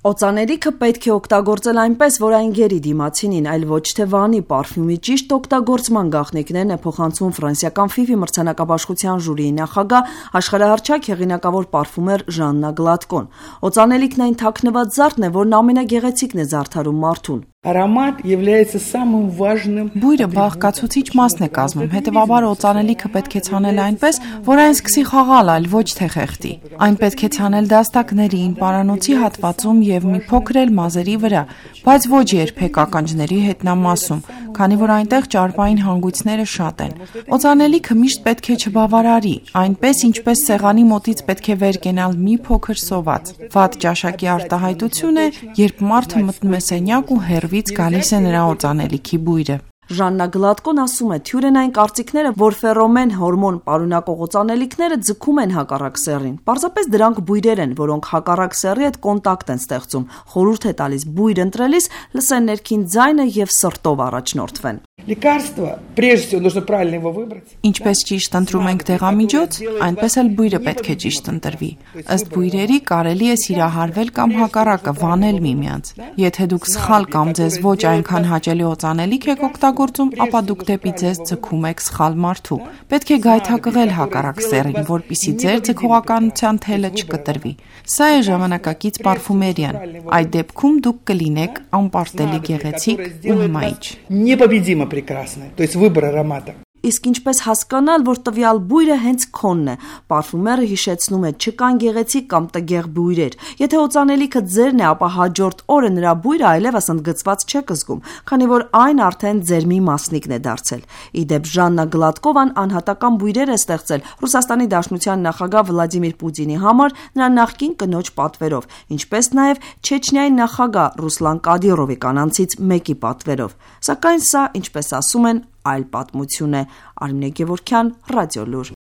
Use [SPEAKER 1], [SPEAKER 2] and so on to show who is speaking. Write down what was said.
[SPEAKER 1] Օծանելիքը պետք է օգտագործել այնպես, որ այն գերի դիմացինին, այլ ոչ թե վանի պարֆյումի ճիշտ օգտագործման գաղտնիքներն է փոխանցում ֆրանսիական FIFI մրցանակաբաշխության ժյուրիի նախագահ, աշխարհահռչակ հեղինակավոր պարֆումեր Ժաննա Գլատկոն։ Օծանելիքն այն թաքնված զարդն է, որն ամենագեղեցիկն է զարդարում մարդուն։
[SPEAKER 2] Аромат является самым важным.
[SPEAKER 3] Բույրը բաղկացուցիչ մասն է կազմում, հետևաբար օծանելիքը պետք է ցանել այնպես, որ այն սկսի խաղալ, այլ ոչ թե խեղդի։ Այն պետք է ցանել դաստակներին, պարանոցի հատվածում եւ մի փոքր էլ մազերի վրա, բայց ոչ երբեք ականջների հետնամասում, քանի որ այնտեղ ճարպային հանգույցները շատ են։ Օծանելիքը միշտ պետք է չբավարարի, այնպես ինչպես սեղանի մոտից պետք է վեր կենալ մի փոքր սոված։ Վատ ճաշակի արտահայտություն է, երբ մարդը մտնում է սենյակ ու հեռվից գալիս է նրա օծանելիքի բույրը։
[SPEAKER 1] Ժաննա Գլատկոն ասում է, թյուր են այն կարծիքները, որ ֆերոմեն հորմոն պարունակող օծանելիքները ձգում են հակառակ սեռին։ Պարզապես դրանք բույրեր են, որոնք հակառակ սեռի հետ կոնտակտ են ստեղծում։ Խորհուրդ է տալիս բույր ընտրելիս լսեն ներքին ձայնը եւ սրտով առաջնորդվեն։
[SPEAKER 2] Лекарство, прежде всего, нужно правильно его выбрать.
[SPEAKER 3] Ինչպես ճիշտ ընտրում ենք դեղամիջոց, այնպես էլ բույրը պետք է ճիշտ ընտրվի։ Ըստ բույրերի կարելի է սիրահարվել կամ հակառակը վանել միմյանց։ Եթե դուք սխալ կամ ձեզ ոչ այնքան հաճելի օծանելիք եք օգտագործում, ապա դուք դեպի ձեզ ձգում եք սխալ մարդու։ Պետք է գայթակղել հակառակ սեռին, որպեսզի ձեր ձգողականության թելը չկտրվի։ Սա է ժամանակակից պարֆումերիան։ Այդ դեպքում դուք կլինեք անպարտելի գեղեցիկ ու հմայիչ։
[SPEAKER 2] Непобедимо прекрасное, то есть выбор аромата.
[SPEAKER 1] Իսկ ինչպես հասկանալ, որ տվյալ բույրը հենց քոնն է։ Պարֆումերը հիշեցնում է չկան գեղեցիկ կամ տգեղ բույրեր։ Եթե օծանելիքը ձերն է, ապա հաջորդ օրը նրա բույրը այլևս ընդգծված չեք զգում, քանի որ այն արդեն ձեր մի մասնիկն է դարձել։ Ի դեպ Ժաննա Գլատկովան անհատական բույրեր է ստեղծել Ռուսաստանի Դաշնության նախագահ Վլադիմիր Պուտինի համար նրա նախկին կնոջ պատվերով, ինչպես նաև Չեչնիայի նախագահ Ռուսլան Կադիրովի կանանցից մեկի պատվերով։ Սակայն սա, ինչպես ասում են, այլ պատմություն է։ Արմինե Գևորգյան, Ռադիոլուր։